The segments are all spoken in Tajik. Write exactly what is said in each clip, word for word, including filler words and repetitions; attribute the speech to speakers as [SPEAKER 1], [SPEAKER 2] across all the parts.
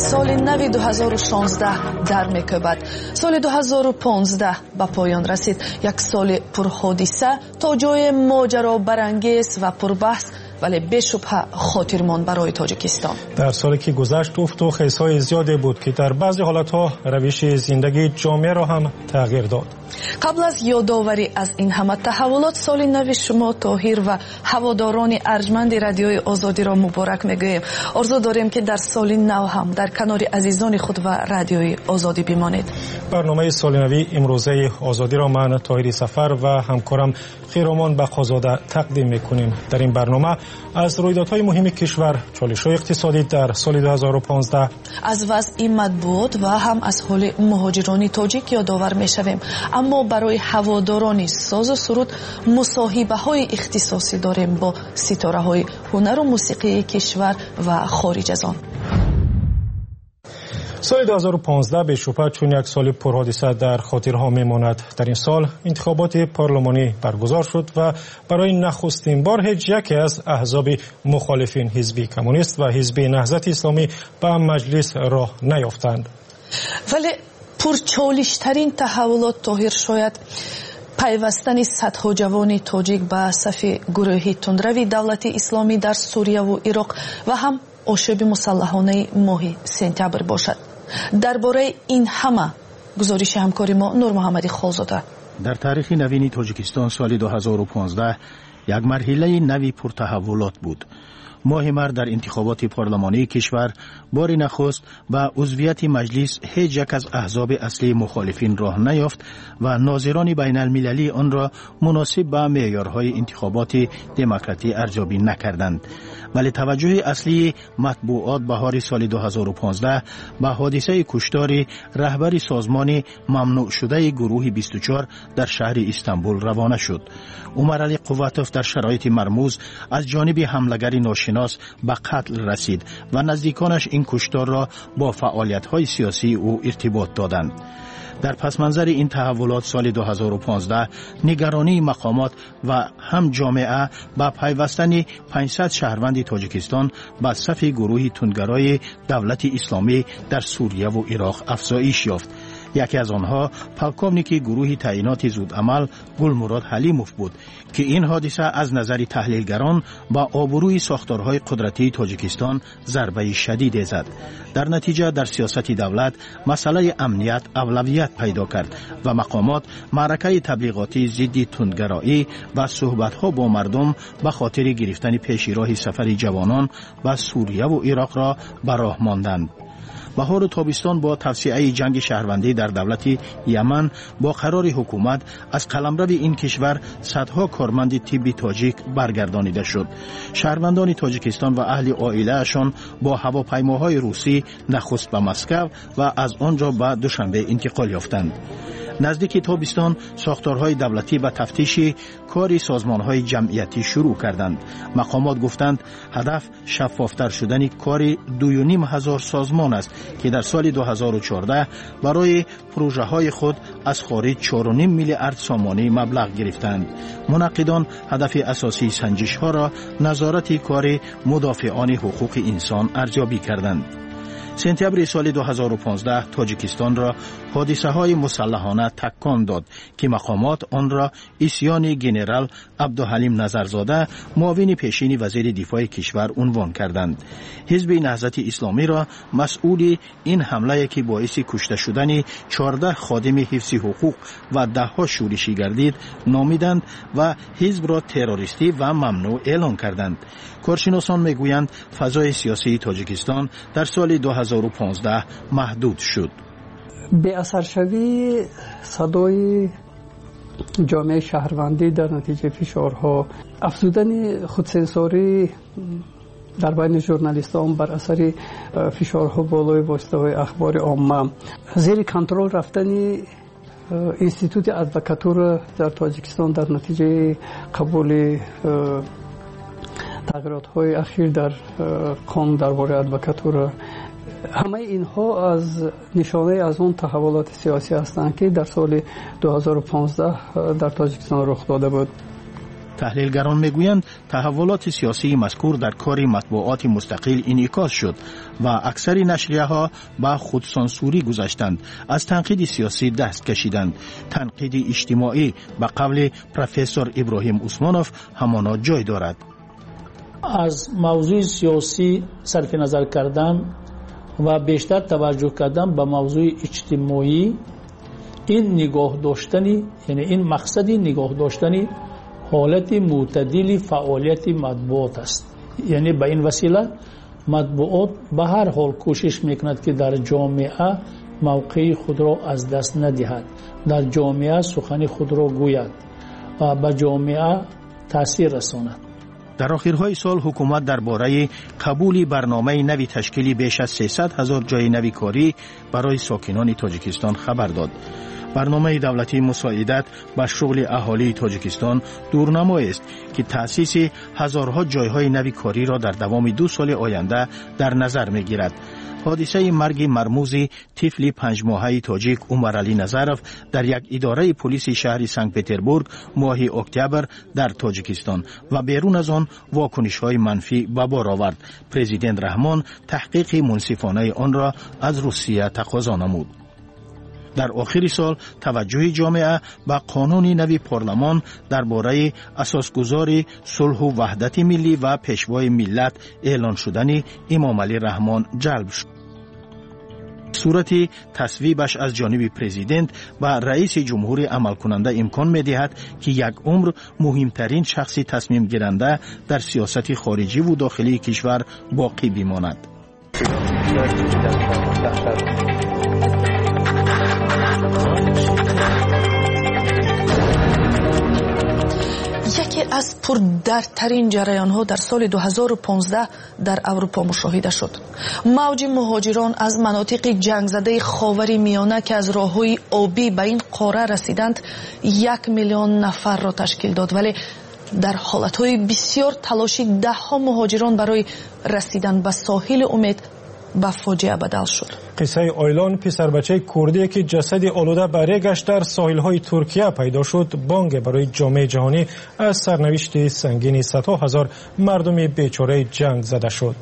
[SPEAKER 1] Соли нави ду ҳазору шонздаҳ дар мекӯбад. Соли ду ҳазору понздаҳ ба поён расид, як соли пурҳодиса, то ҷое моҷаробарангез ва пурбаҳс, вале бешубҳа хотирмон барои Тоҷикистон.
[SPEAKER 2] Дар соле ки гузашт, уфту хезҳои зиёде буд, ки дар баъзе ҳолатҳо равиши зиндагии ҷомеаро ҳам тағйир дод.
[SPEAKER 1] Қабл аз ёдоварӣ аз ин ҳама таҳаввулот, соли нави шумо, Тоҳир, ва ҳаводорони арҷманди Радиои Озодиро муборак мегӯем. Орзу дорем, ки дар соли нав ҳам дар канори азизони худ ва Радиои Озодӣ бимонед.
[SPEAKER 2] Барномаи солинавии имрӯзаи Озодиро ман, Тоҳири Сафар, ва ҳамкорам Хиромон Бақозода тақдим мекунем. Дар ин барнома аз рӯйдодҳои муҳими кишвар, чолишҳои иқтисодӣ дар соли ду ҳазору понздаҳ,
[SPEAKER 1] аз вазъи матбуот ва ҳам аз ҳоли муҳоҷирони тоҷик ёдовар мешавем. Аммо барои ҳаводорони созу суруд мусоҳибаҳои ихтисосӣ дорем бо ситораҳои ҳунару мусиқии кишвар ва хориҷ аз он.
[SPEAKER 2] Соли ду ҳазору понздаҳ бешубҳа чун як соли пурҳодиса дар хотирҳо мемонад. Дар ин сол интихоботи парлумонӣ баргузор шуд ва барои нахустин бор ҳеҷ яке аз аҳзоби мухолифин, Ҳизби Коммунист ва Ҳизби Наҳзати Исломӣ, ба Маҷлис роҳ наёфтанд.
[SPEAKER 1] Вале пурчолиштарин таҳаввулот, Тоҳир, шояд пайвастани садҳо ҷавони тоҷик ба сафи гурӯҳи тундрави Давлати Исломӣ дар Сурияву Ироқ ва ҳам ошӯби мусаллаҳонаи моҳи сентябр бошад. Дар бораи ин ҳама гузориши ҳамкори мо Нурмуҳаммади Холзода.
[SPEAKER 3] Дар таърихи навини Тоҷикистон соли ду ҳазору понздаҳ як марҳилаи нави пуртаҳаввулот буд. Моҳи март дар интихоботи парлумонии кишвар бори нахуст ба узвияти Маҷлис ҳеҷ як аз аҳзоби аслии мухолифин роҳ наёфт ва нозирони байналмилалӣ онро муносиб ба меъёрҳои интихоботи демократӣ арзёбӣ накарданд. Вале таваҷҷӯҳи аслии матбуот баҳори соли ду ҳазору понздаҳ ба ҳодисаи куштори раҳбари созмони мамнӯъшудаи гурӯҳи бисту чор дар шаҳри Истанбул равона шуд. Умаралӣ Қувватов дар шароити мармуз аз ҷониби ҳамлагари ношинос ба қатл расид ва наздиконаш ин кушторро бо фаъолиятҳои сиёсии ӯ иртибот доданд. Дар пасманзари ин таҳаввулот соли ду ҳазору понздаҳ нигаронии мақомот ва ҳам ҷомеа ба пайвастани панҷсад шаҳрванди Тоҷикистон ба сафи гурӯҳи тундгарои Давлати Исломӣ дар Сурияву Ироқ афзоиш ёфт. Яке аз онҳо полковники гурӯҳи таъиноти зудамал Гулмурод Ҳалимов буд, ки ин ҳодиса аз назари таҳлилгарон ба обрӯи сохторҳои қудратии Тоҷикистон зарбаи шадиде зад. Дар натиҷа дар сиёсати давлат масъалаи амният авлавият пайдо кард ва мақомот маъракаи таблиғотии зидди тундгароӣ ва суҳбатҳо бо мардум ба хотири гирифтани пеши роҳи сафари ҷавонон ба Сурияву Ироқро ба роҳ монданд. Баҳору тобистон бо тавсеаи ҷанги шаҳрвандӣ дар давлати Яман бо қарори ҳукумат аз қаламрави ин кишвар садҳо корманди тибби тоҷик баргардонида шуд. Шаҳрвандони Тоҷикистон ва аҳли оилаашон бо ҳавопаймоҳои русӣ нахуст ба Москав ва аз он ҷо ба Душанбе интиқол ёфтанд. Наздики тобистон сохторҳои давлатӣ ба тафтиши кори созмонҳои ҷамъиятӣ шурӯъ карданд. Мақомот гуфтанд, ҳадаф шаффофтар шудани кори дуюним ҳазор созмон аст, ки дар соли ду ҳазору чордаҳ барои пурӯжаҳои худ аз хориҷ чору ним миллиард сомонӣ маблағ гирифтанд. Мунаққидон ҳадафи асосии санҷишҳоро назорати кори мудофиони ҳуқуқи инсон арзёбӣ карданд. Сентябри соли ду ҳазору понздаҳ Тоҷикистонро ҳодисаҳои мусаллаҳона такон дод, ки мақомот онро исьёни генерал Абдуҳалим Назарзода, муовини пешини вазири дифои кишвар, унвон карданд. Ҳизби Наҳзати Исломиро масъули ин ҳамлае, ки боиси кушта шудани чордаҳ ходими ҳифзи ҳуқуқ ва даҳҳо шӯришӣ гардид, номиданд ва ҳизбро террористӣ ва мамнӯъ эълон карданд. Коршиносон мегӯянд, фазои сиёсии Тоҷикистон дар соли ду ҳазору понздаҳ маҳдуд шуд.
[SPEAKER 4] Беасаршавии садои ҷомеаи шаҳрвандӣ дар натиҷаи фишорҳо, афзудани худсенсорӣ дар байни журналистон бар асари э, фишорҳо болои воситаҳои ахбори омма, зери контрол рафтани э, институти адвокатура дар Тоҷикистон дар натиҷаи қабули э, тағйиротҳои ахир дар қонун дар бораи адвокатура. Ҳамаи инҳо аз нишонаи аз он таҳаввулоти сиёсӣ ҳастанд, ки дар соли ду ҳазору понздаҳ дар Тоҷикистон рух дода буд.
[SPEAKER 3] Таҳлилгарон мегӯянд, таҳаввулоти сиёсии мазкур дар кори матбуоти мустақил инъикос шуд ва аксари нашрияҳо ба худсансурӣ гузаштанд, аз танқиди сиёсӣ даст кашиданд. Танқиди иҷтимоӣ ба қавли профессор Иброҳим Усмонов ҳамоно ҷой дорад.
[SPEAKER 5] Аз мавзӯи сиёсӣ сарфи назар кардан ва бештар таваҷҷӯҳ кардан ба мавзӯи иҷтимоӣ, ин нигоҳ доштани, яъне ин мақсади нигоҳ доштани ҳолати мӯътадили фаъолияти матбуот аст. Яъне ба ин васила матбуот ба ҳар ҳол кӯшиш мекунад, ки дар ҷомеа мавқеи худро аз даст надиҳад, дар ҷомеа сухани худро гӯяд ва ба ҷомеа таъсир расонад.
[SPEAKER 3] Дар охирҳои сол ҳукумат дар бораи қабули барномаи нави ташкили беш аз сесад ҳазор ҷойи нави корӣ барои сокинони Тоҷикистон хабар дод. Барномаи давлатии мусоидат ба шуғли аҳолии Тоҷикистон дурнамоест, ки таъсиси ҳазорҳо ҷойҳои нави кориро дар давоми ду соли оянда дар назар мегирад. Ҳодисаи марги мармузи тифли панҷмоҳаи тоҷик Умаралӣ Назаров дар як идораи полиси шаҳри Санкт-Петербург моҳи октябр дар Тоҷикистон ва берун аз он вокунишҳои манфӣ ба бор овард. Президент Раҳмон таҳқиқи мунсифонаи онро аз Русия тақозо намуд. Дар охири сол таваҷҷӯҳи ҷомеа ба қонуни нави парламон дар бораи асосгузори сулҳу ваҳдати миллӣ ва пешвои миллат эълон шудани Имомалӣ Раҳмон ҷалб шуд. Сурати тасвибаш аз ҷониби президент ба раиси ҷумҳури амалкунанда имкон медиҳад, ки як умр муҳимтарин шахси тасмимгиранда дар сиёсати хориҷиву дохилии кишвар боқӣ бимонад.
[SPEAKER 1] Яке аз пурдардтарин ҷараёнҳо дар соли ду ҳазору понздаҳ дар Аврупо мушоҳида шуд. Мавҷи муҳоҷирон аз манотиқи ҷангзадаи Ховари Миёна, ки аз роҳҳои обӣ ба ин қора расиданд, як миллион нафарро ташкил дод. Вале дар ҳолатҳои бисёр талоши даҳҳо муҳоҷирон барои расидан ба соҳили умед ба фоҷиа бадал шуд.
[SPEAKER 2] Қиссаи Ойлон, писарбачаи курдие, ки ҷасади олуда ба регаш дар соҳилҳои Туркия пайдо шуд, бонге барои ҷомеаи ҷаҳонӣ аз сарнавишти сангини садҳо ҳазор мардуми бечораи ҷанг зада шуд.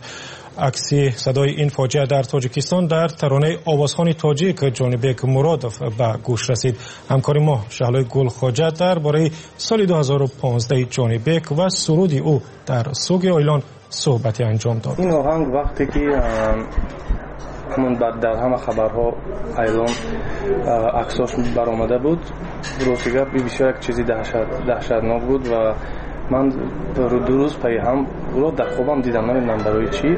[SPEAKER 2] Акси садои ин фоҷиа дар Тоҷикистон дар таронаи овозхони тоҷик Ҷонибек Муродов ба гӯш расид. Ҳамкори мо Шаҳлои Гулхоҷа дар бораи соли ду ҳазору понздаҳ Ҷонибек ва суруди ӯ дар суги Ойлон суҳбате анҷом дод.
[SPEAKER 6] Ин оҳанг вақте ки ҳамон дар ҳама хабарҳо Айлон аксош баромада буд, рости гап бисёр як чизи даҳшатнок буд ва ман ду рӯз пайи ҳам ӯро дар хобам дидам, намедонам барои чӣ.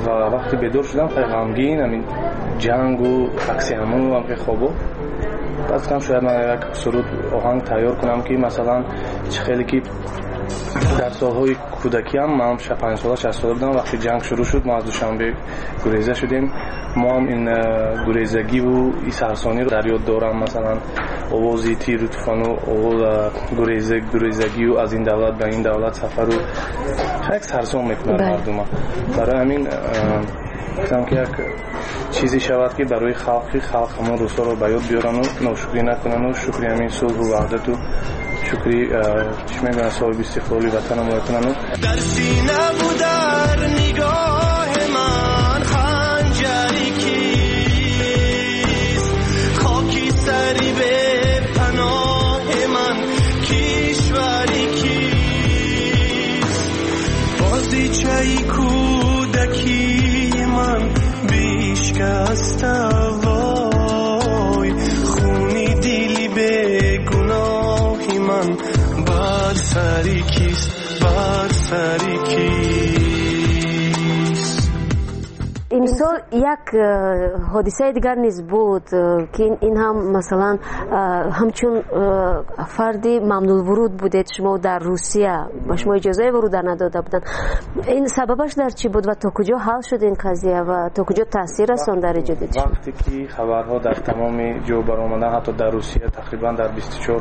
[SPEAKER 6] Ва вақте бедор шудам пай ғамгин, ҳамин ҷангу акси ҳамону ҳамхе хобо. Баъд гуфтам шояд ман як суруд оҳанг тайёр кунам, ки масалан чӣ хеле ки дар солҳои кӯдакиам, ман панҷ сола шаш сола будам, вақте ҷанг шурӯъ шуд, мо аз Душанбе гуреза шудем. Мо ҳам ин гурезагиву сарсониро дар ёд дорам, масалан овози тиру туфану гурезагию аз ин давлат ба ин давлат сафару як сарсон мекунад мардума. Барои ҳамин гуфтам ки як чизе шавад, ки барои халқи халқ ҳамон рӯзҳоро ба ёд биёрану ношукрӣ накунану шукри ҳамин сулҳу ваҳдату шукри чӣ мегӯянд соҳиби истиқлоли ватанамо кунану.
[SPEAKER 7] Дар синаву дар нигоҳи ман ханҷари кист, хоки сари бепаноҳи ман кишвари кист, бозичаи кӯдакии ман бишкаста вой, хуни дили бегуноҳи ман бар сари кист, бар сари кист.
[SPEAKER 8] Имсол як ҳодисаи дигар низ буд, ки ин ҳам масалан ҳамчун фарди мамнулвуруд будед шумо дар Русия, ба шумо иҷозаи вуруд надода буданд. Ин сабабаш дар чӣ буд ва то куҷо ҳал шуд ин қазия ва то куҷо таъсир расонд дар эҷоди шумо?
[SPEAKER 6] Вақте ки хабарҳо дар тамоми ҷо баромаданд, ҳатто дар Русия тақрибан дар бисту чор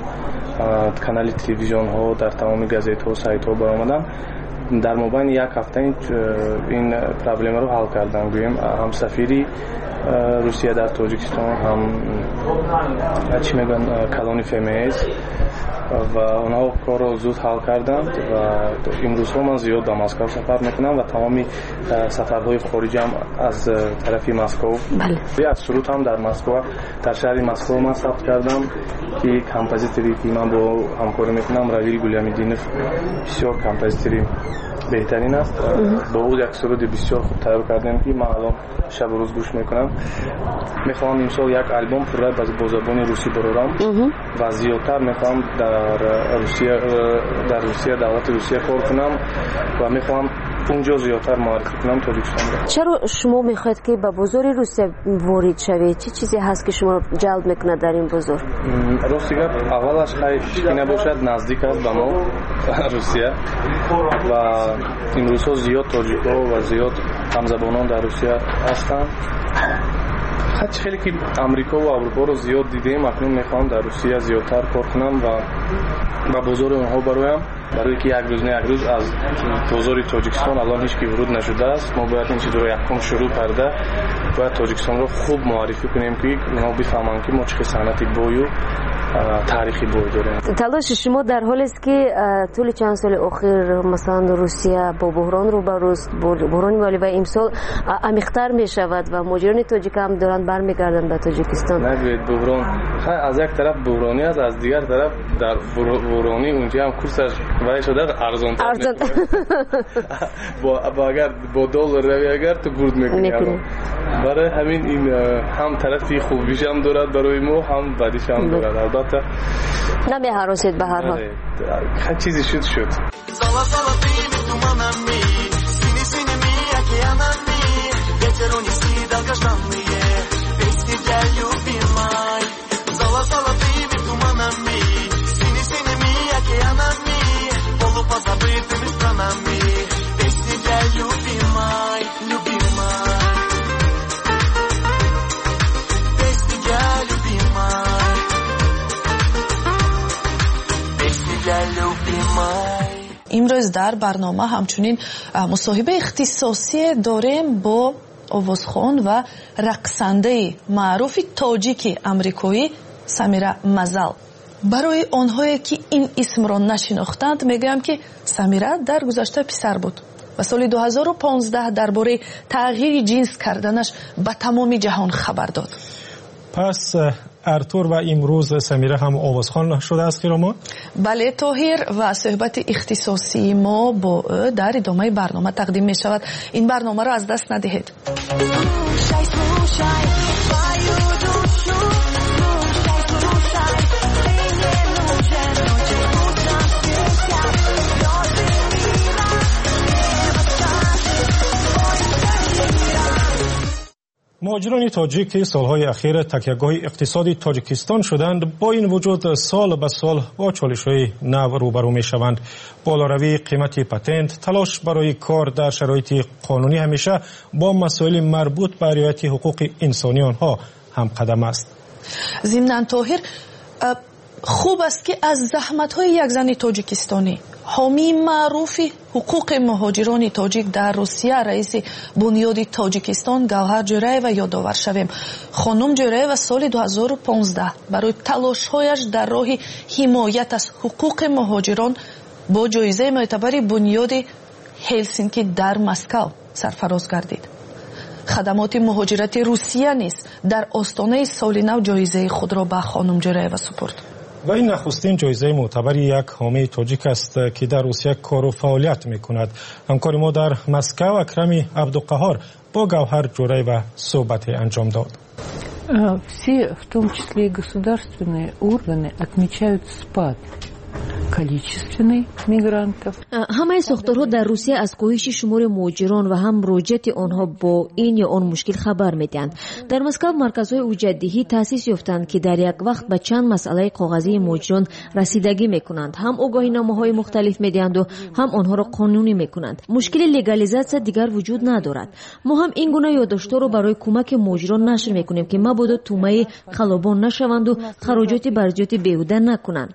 [SPEAKER 6] канали телевизионҳо, дар тамоми газетҳо, сайтҳо баромаданд, Дар мобайни як ҳафта ин проблемаро ҳал кардам. Гӯем, ҳам сафири Русия дар Тоҷикистон, ҳам чӣ мегӯянд, калони Ф М С, ва онҳо корро зуд ҳал карданд. Ва имрӯзҳо ман зиёд ба Москав сафар мекунам ва тамоми сафарҳои хориҷам аз тарафи Москов. Як суруд ҳам дар Москва, дар шаҳри Москва ман сабт кардам, ки композиторе ки ман бо ҳамкорӣ мекунам, Равил Гулямидинов, бисёр композитори беҳтарин аст. Бо ӯ як суруди бисёр хуб тайёр кардем, ки ман алон шабу рӯз гӯш мекунам. Мехоҳам имсол як албом пурра бо забони русӣ барорам ва зиёдтар мехоҳам дар Русия, дар Русия, давлати Русия кор кунам ва мехоҳам унҷо зиёдтар муаррифӣ кунам Тоҷикистонро.
[SPEAKER 8] Чаро шумо мехоҳед, ки ба бозори Русия ворид шавед? Чӣ чизе ҳаст, ки шуморо ҷалб мекунад дар ин бозор?
[SPEAKER 6] Рости гап, аввалаш, хай, ки набошад, наздик аст ба мо Русия ва имрӯзҳо зиёд тоҷикҳо ва зиёд ҳамзабонон дар Русия ҳастанд. Хай, хеле ки Амрико ва Аврупоро зиёд дидем, акнун мехоҳам дар Русия зиёдтар кор кунам ва ба бозори онҳо бароям, барое ки як рӯз не як рӯз аз бозори Тоҷикистон алон ҳеҷ ки вуруд нашудааст. Мо бояд ин чизро якум шурӯъ карда, бояд Тоҷикистонро хуб муаррифӣ кунем, ки онҳо бифаҳманд, ки мо чӣ хел санъати бою таърихи бой дорем.
[SPEAKER 8] Талоши шумо дар ҳолест, ки тӯли чанд соли охир, масалан, Русия бо буҳрон рӯбарӯст, буҳрони молӣ, ва имсол амиқтар мешавад ва муҳоҷирони тоҷик ҳам доранд бармегарданд ба Тоҷикистон.
[SPEAKER 6] Нагӯед буҳрон. Хай, аз як тараф буҳронӣ аст, аз дигар тараф дар буҳронӣ унҷа ҳам курсаш вай шуда, арзонтар. Агар бо доллар рави, агар ту бурд мекунӣ. Барои ҳамин ин ҳам тарафи хубишам дорад барои мо, ҳам бадишам дорад, албатта.
[SPEAKER 8] Намеҳаросед ба ҳар ҳол.
[SPEAKER 6] Чизе шуд, шуд.
[SPEAKER 7] Золотыми туманами, сине-синими океанами ветер унеси долгожданные песни для любимой. Золотыми туманами, сине-синими океанами, полупозабытыми странами песни для любимой, любимой. Песни для любимой. Песни для любимой.
[SPEAKER 1] Имрӯз дар барнома ҳамчунин мусоҳибаи ихтисосие дорем бо овозхон ва рақсандаи маъруфи тоҷики амрикоӣ Самира Мазал. Барои онҳое, ки ин исмро нашинохтанд, мегӯям, ки Самира дар гузашта писар буд ва соли ду ҳазору понздаҳ дар бораи тағйири ҷинс карданаш ба тамоми ҷаҳон хабар дод.
[SPEAKER 2] Пас Артур ва имрӯз Самира ҳам овозхон шудааст, Хиромо?
[SPEAKER 1] Бале, Тоҳир, ва суҳбати ихтисосии мо бо ӯ дар идомаи барнома тақдим мешавад. Ин барномаро аз даст надиҳед.
[SPEAKER 7] Слушай, слушай свою душу, слушай, слушай, ты не нужен ночью, утром светят звезды мира, небо скажет свой мира.
[SPEAKER 2] Муҳоҷирони тоҷик, ки солҳои ахир такягоҳи иқтисоди Тоҷикистон шуданд, бо ин вуҷуд сол ба сол бо чолишҳои нав рӯбарӯ мешаванд. Болоравии қимати патент, талош барои кор дар шароити қонунӣ ҳамеша бо масоили марбут ба риояти ҳуқуқи инсонии онҳо ҳамқадам аст.
[SPEAKER 1] Зимнан, Тоҳир, хуб аст, ки аз заҳматҳои як зани тоҷикистонӣ, ҳомии маъруфи ҳуқуқи муҳоҷирони тоҷик дар Русия, раиси Бунёди Тоҷикистон Гавҳар Ҷӯраева ёдовар шавем. Хонум Ҷӯраева соли ду ҳазору понздаҳ барои талошҳояш дар роҳи ҳимоят аз ҳуқуқи муҳоҷирон бо ҷоизаи мӯътабари Бунёди Ҳелсинки дар Москав сарфароз гардид. Хадамоти муҳоҷирати Русия низ дар остонаи соли нав ҷоизаи худро ба хонум Ҷӯраева супурд.
[SPEAKER 2] Ва ин нахустин ҷоизаи мӯътабари як ҳомии тоҷик аст, ки дар Русия кору фаъолият мекунад. Ҳамкори мо дар Москав Акрами Абдуқаҳор бо Гавҳар Ҷӯраева суҳбате анҷом дод.
[SPEAKER 9] Все, в том числе и государственные органы, отмечают спад количественный мигрантов.
[SPEAKER 8] Ҳамаи сохторҳо дар Русия аз коҳиши шумори муҳоҷирон ва ҳам муроҷиати онҳо бо ин ё он мушкил хабар медиҳанд. Дар Москав марказҳои ҳуҷҷатдиҳӣ таъсис ёфтанд, ки дар як вақт ба чанд масъалаи коғазии муҳоҷирон расидагӣ мекунанд, ҳам огоҳиномаҳои мухталиф медиҳанду ҳам онҳоро қонунӣ мекунанд. Мушкили легализатсия дигар вуҷуд надорад. Мо ҳам ин гуна ёддоштҳоро барои кӯмаки муҳоҷирон нашр мекунем, ки мабодо тӯъмаи қаллобон нашаванду хароҷоти барзиёди беҳуда накунанд.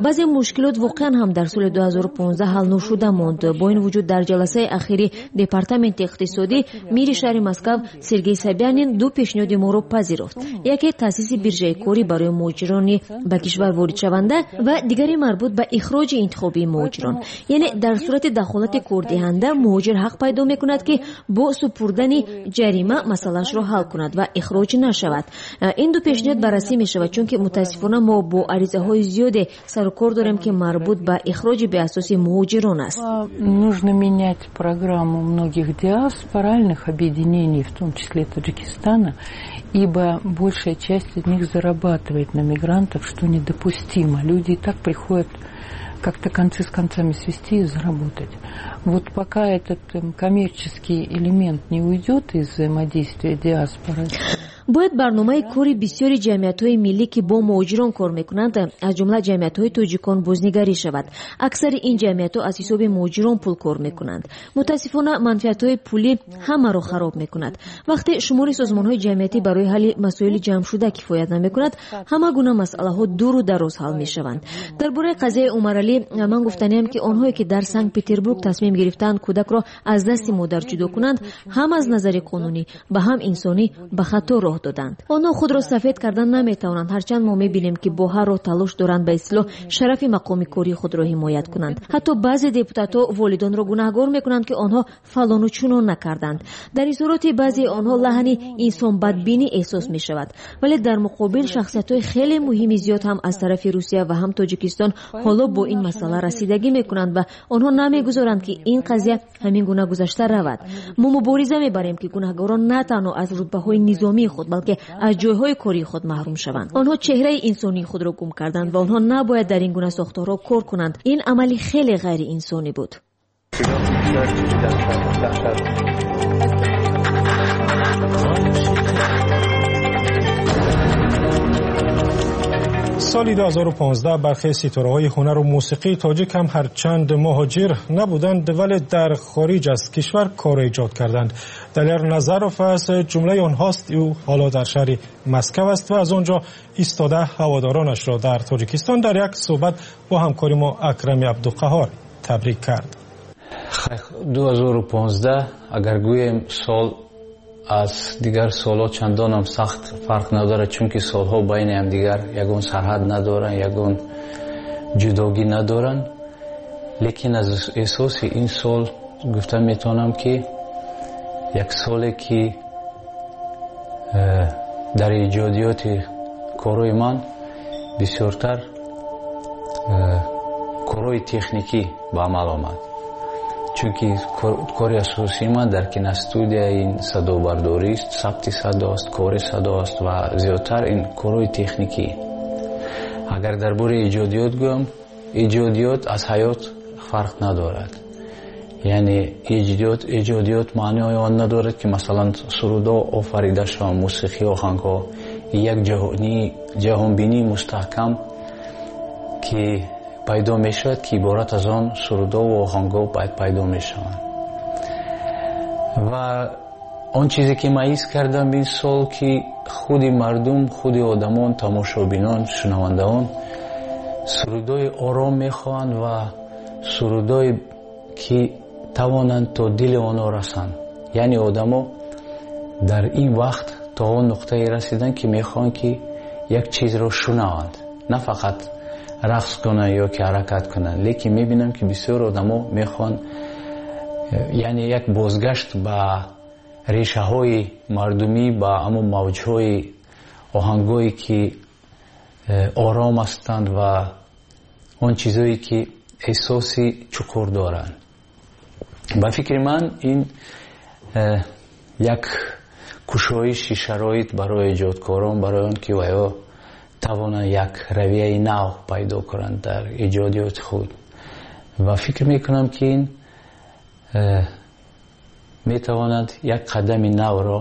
[SPEAKER 10] Баъзе мушкилот воқеан ҳам дар соли ду ҳазору понздаҳ ҳал нашуда монд. Бо ин вуҷуд дар ҷаласаи ахири департаменти иқтисодӣ мири шаҳри Москав Сергей Собянин ду пешниҳоди моро пазируфт. Яке таъсиси биржаи корӣ барои муҳоҷирони ба кишвар воридшаванда ва дигаре марбут ба ихроҷи интихобии муҳоҷирон. Яъне дар сурати дахолати кордиҳанда муҳоҷир ҳақ пайдо мекунад, ки бо супурдани ҷарима масъалаашро ҳал кунад ва ихроҷ нашавад. Ин ду пешниҳод баррасӣ мешавад, чунки мутаассифона мо бо аризаҳои зиёде сару кор дорем, ки марбут ба ихроҷи беасоси муҳоҷирон аст.
[SPEAKER 9] Нужно менять программу многих диаспоральных объединений, в том числе Таджикистана, ибо большая часть из них зарабатывает на мигрантов, что недопустимо. Люди и так приходят как-то концы с концами свести и заработать. Вот пока этот коммерческий элемент не уйдет из взаимодействия диаспоры.
[SPEAKER 10] Бояд барномаи кори бисёри ҷамъиятҳои миллӣ, ки бо муҳоҷирон кор мекунанд, аз ҷумла ҷамъиятҳои тоҷикон, бознигарӣ шавад. Аксари ин ҷамъиятҳо аз ҳисоби муҳоҷирон пул кор мекунанд. Мутаассифона манфиатҳои пулӣ ҳамаро хароб мекунад. Вақте шумори созмонҳои ҷамъиятӣ барои ҳалли масоили ҷамъшуда кифоят намекунад, ҳама гуна масъалаҳо дуру дароз ҳал мешаванд. Дар бораи қазияи Умаралӣ ман гуфтаниам, ки онҳое ки дар Санкт-Петербург тасмим гирифтаанд кӯдакро аз дасти модар ҷудо кунанд, ҳам аз назари қонунӣ ба ҳам инсонӣ ба хато роҳ доданд. Онҳо худро сафед кардан наметавонанд, ҳарчанд мо мебинем, ки бо ҳар роҳ талош доранд ба истилоҳ шарафи мақоми кории худро ҳимоят кунанд. Ҳатто баъзе депутатҳо волидонро гунаҳгор мекунанд, ки онҳо фалону чунон накарданд. Дар изҳороти баъзеи онҳо лаҳни инсонбадбинӣ эҳсос мешавад, вале дар муқобил шахсиятҳои хеле муҳими зиёд ҳам аз тарафи Русия ва ҳам Тоҷикистон ҳоло бо ин масъала расидагӣ мекунанд ва онҳо намегузоранд, ки ин қазия ҳамин гуна гузашта равад. Мо мубориза мебарем, ки гунаҳгорон на танҳо аз рутбаҳои низомии худ, балки аз ҷойҳои кории худ маҳрум шаванд. Онҳо чеҳраи инсонии худро гум карданд ва онҳо набояд дар ин гуна сохторҳо кор кунанд. Ин амали хеле ғайриинсонӣ буд.
[SPEAKER 2] Соли ду ҳазору понздаҳ бархе ситораҳои ҳунару мусиқии тоҷик ҳам ҳарчанд муҳоҷир набуданд, вале дар хориҷ аз кишвар кор эҷод карданд. Далер Назаров аз ҷумлаи онҳост. Ӯ ҳоло дар шаҳри Москав аст ва аз он ҷо истода ҳаводоронашро дар Тоҷикистон дар як суҳбат бо ҳамкори мо Акрами Абдуқаҳор табрик кард.
[SPEAKER 11] ду ҳазору понздаҳ агар гӯем сол аз дигар солҳо чандонам сахт фарқ надорад, чунки солҳо байни ҳамдигар ягон сарҳад надоранд, ягон ҷудогӣ надоранд. Лекин аз эҳсоси ин сол гуфта метавонам, ки як соле ки дар эҷодиёти корҳои ман бисёртар корҳои техникӣ ба амал омад. Чунки кори асосии ман дар киностудия ин садобардорист, сабти садост, кори садост ва зиёдтар ин корҳои техникӣ. Агар дар бораи эҷодиёт гӯям, эҷодиёт аз ҳаёт фарқ надорад. Яъне эҷодиёт, эҷодиёт маънои он надорад, ки масалан сурудҳо офарида шаванд, мусиқӣ, оҳангҳо. Як ҷаҳонбинии мустаҳкам ки пайдо мешавад, ки иборат аз он сурудҳо ва оҳангҳо пайдо мешаванд. Ва он чизе ки ман ҳис кардам ин сол, ки худи мардум, худи одамон, тамошобинон, шунавандаон сурудҳои ором мехоҳанд ва сурудҳое ки тавонанд то дили онҳо расанд. Яъне одамо дар ин вақт то он нуқтае расиданд, ки мехоҳанд ки як чизро шунаванд, на фақат рақс кунанд ё ки ҳаракат кунанд. Лекин мебинам, ки бисёр одамо мехоҳанд, яъне як бозгашт ба решаҳои мардумӣ, ба ҳамон мавҷҳои оҳангҳое ки ором ҳастанд ва он чизҳое ки эҳсоси чуқур доранд. Ба фикри ман ин як кушоиши шароит барои эҷодкорон, барои он ки ваё тавонанд як равияи нав пайдо кунанд дар эҷодиёти худ. Ва фикр мекунам, ки ин метавонад як қадами навро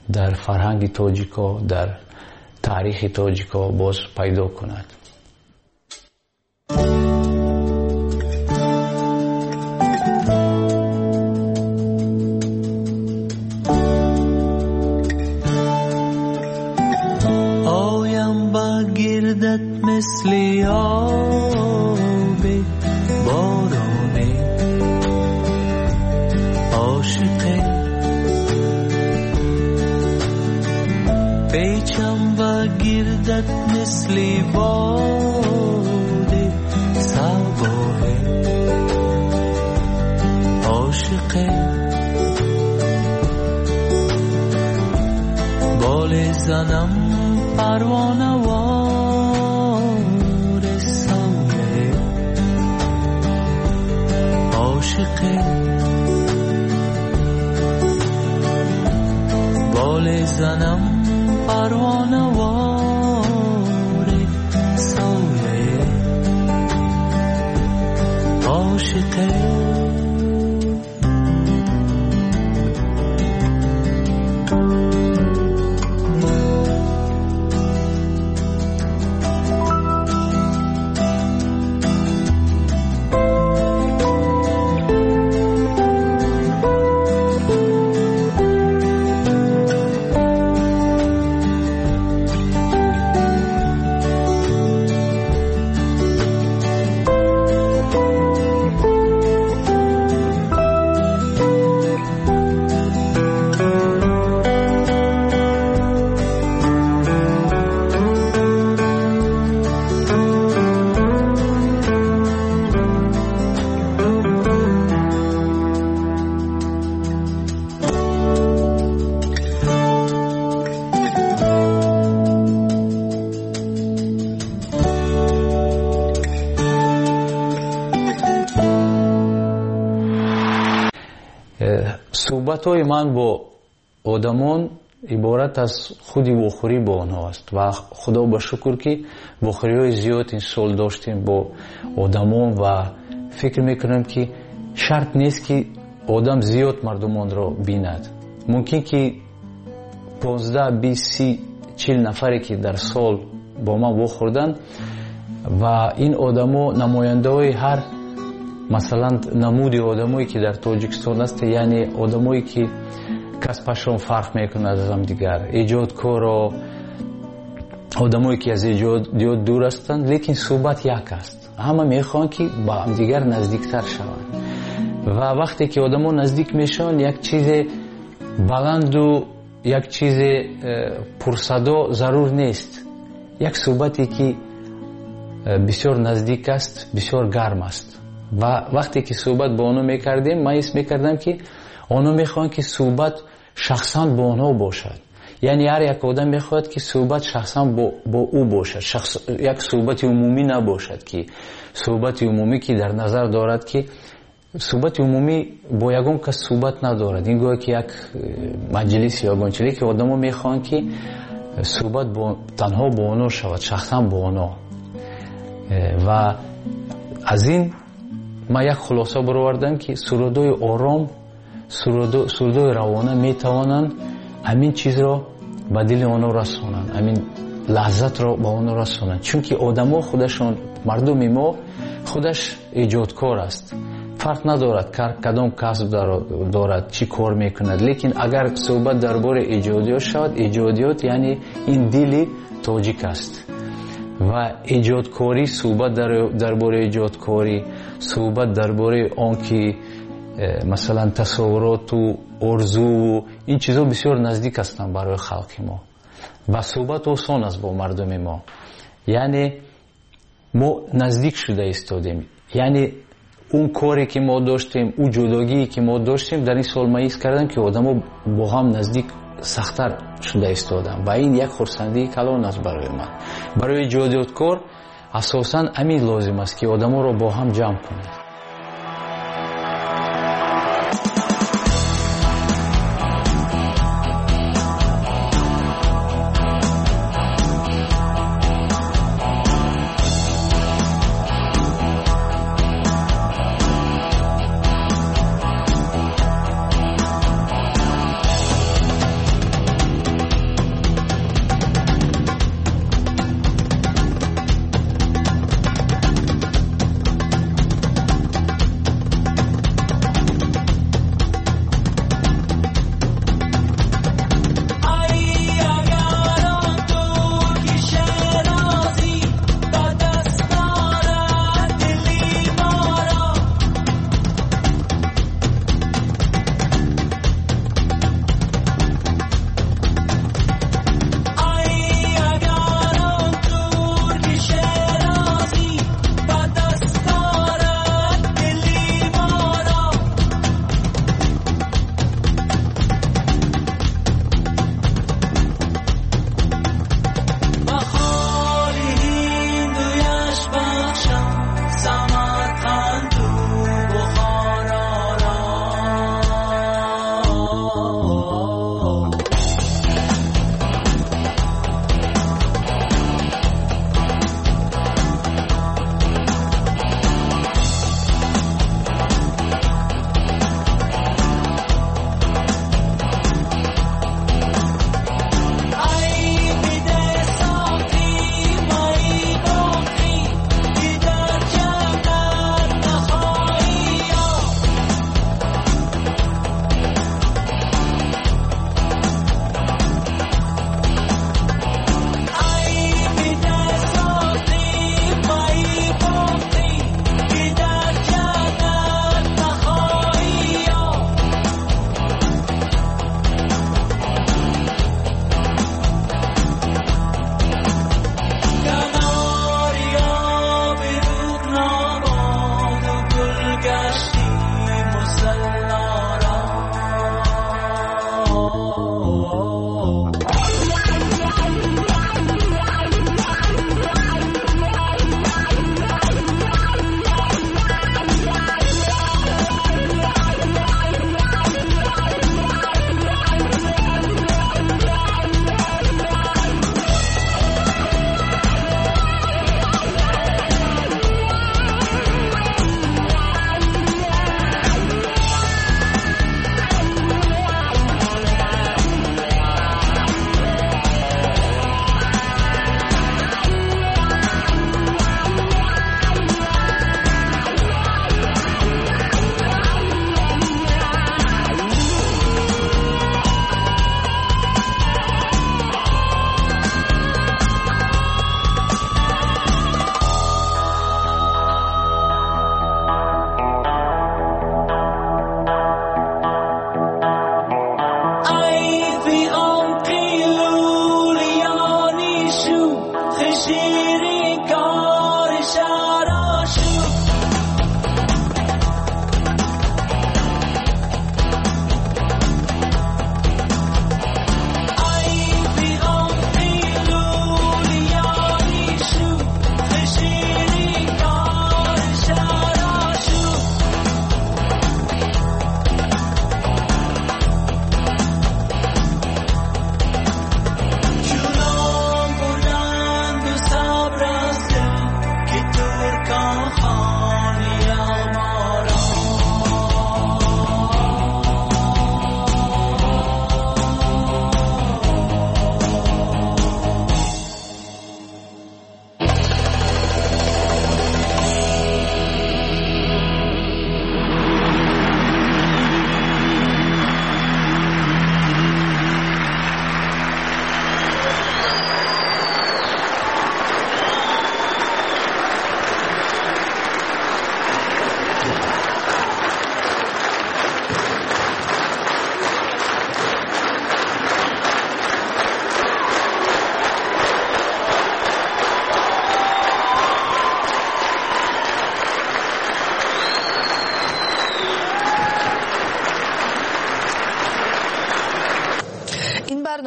[SPEAKER 11] дар фарҳанги тоҷико, дар таърихи тоҷико боз пайдо кунад.
[SPEAKER 12] مثل مثل باد صباه عاشقه بال زنم پروانه وار سایه عاشقه بال زنم پروانه وار سایه عاشقه.
[SPEAKER 11] Суҳбатҳои ман бо одамон иборат аз худи вохӯрӣ бо онҳо аст ва худо ба шукр ки вохӯриҳои зиёд ин сол доштем бо одамон ва фикр мекунам ки шарт нест ки одам зиёд мардумонро бинад. Мумкин ки понздаҳ, бист, си, чил нафаре ки дар сол бо ман вохӯрданд ва ин одамо намояндаҳои ҳар масалан намуди одамое ки дар Тоҷикистон аст, яъне одамое ки касбашон фарқ мекунад аз ҳамдигар, эҷодкоро, одамое ки аз эҷодиёт дур ҳастанд, лекин суҳбат як аст. Ҳама мехоҳанд ки ба ҳамдигар наздиктар шаванд ва вақте ки одамо наздик мешаванд, як чизе баланду як чизе пурсадо зарур нест. Як суҳбате ки бисёр наздик аст, бисёр гарм аст. Ва вақте ки суҳбат бо онҳо мекардем, ман ҳис мекардам ки онҳо мехоҳанд ки суҳбат шахсан бо онҳо бошад. Яъне ҳар як одам мехоҳад ки суҳбат шахсан бо, бо ӯ бошад, шахс, як суҳбати умумӣ набошад, ки суҳбати умумӣ ки дар назар дорад ки суҳбати умумӣ бо ягон кас суҳбат надорад. Ин гӯё ки як маҷлис ё ягон чизе ки одамо мехоҳанд ки суҳбат бо, танҳо бо онҳо шавад, шахсан бо онҳо. Ва аз ин ман як хулоса баровардам ки сурудҳои ором, сурудҳои равона метавонанд ҳамин чизро ба дили онҳо расонанд, ҳамин лаззатро ба онҳо расонанд. Чунки одамо худашон, мардуми мо худаш эҷодкор аст. Фарқ надорад кадом касб дорад, чӣ кор мекунад, лекин агар суҳбат дар бораи эҷодиёт шавад, эҷодиёт яъне ин дили тоҷик аст. Ва эҷодкорӣ, суҳбат дар бораи эҷодкорӣ, суҳбат дар бораи он ки масалан тасаввуроту орзуву ин чизҳо бисёр наздик ҳастанд барои халқи мо ва суҳбат осон аст бо мардуми мо. Яъне мо наздик шуда истодем. Яъне он коре ки мо доштем, ӯ ҷудогие ки мо доштем, дар ин сол ман ҳис кардам ки одамо бо ҳам наздик сахттар шуда истодам ва ин як хурсандии калон аст барои ман. Барои эҷодиёткор асосан ҳамин лозим аст ки одаморо бо ҳам ҷамъ кунад.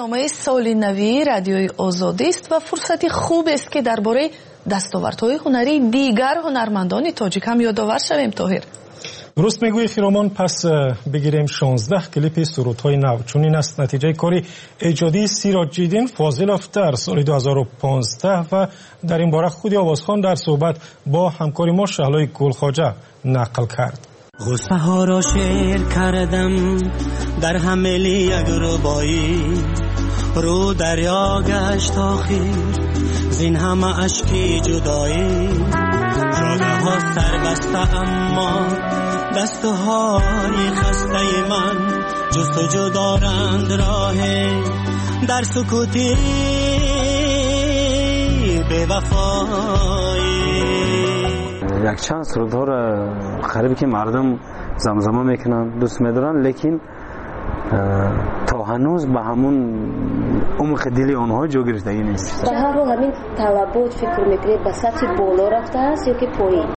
[SPEAKER 1] Барномаи соли навии Радиои Озодист ва фурсати хубест, ки дар бораи дастовардҳои ҳунарии дигар ҳунармандони тоҷик ҳам ёдовар шавем, Тоҳир.
[SPEAKER 2] Дуруст мегӯӣ, Хиромон. Пас э, бигирем шонздаҳ клипи сурудҳои нав. Чунин аст натиҷаи кори эҷодии Сироҷиддин Фозилов дар соли ду ҳазору понздаҳ ва дар ин бора худи овозхон дар суҳбат бо ҳамкори мо Шаҳлои Гулхоҷа нақл кард.
[SPEAKER 13] Ғуссаҳоро шеър кардам дар ҳамили як рубоӣ, рӯ дарё гашт охир зин ҳама ашки ҷудоӣ. Ҷодаҳо сарбаста, аммо дастҳои хастаи ман ҷустуҷӯ доранд роҳе дар сукути бевафоӣ.
[SPEAKER 14] Якчанд сурудҳоро қарибе ки мардум замзама мекунанд, дӯст медоранд, лекин то ҳанӯз ба ҳамун умқи дили онҳо ҷо гирифтагӣ нест.
[SPEAKER 8] Дар ҳар ҳол, ҳамин талабот, фикр мекунед, ба сатҳи боло рафтааст ё ки поин?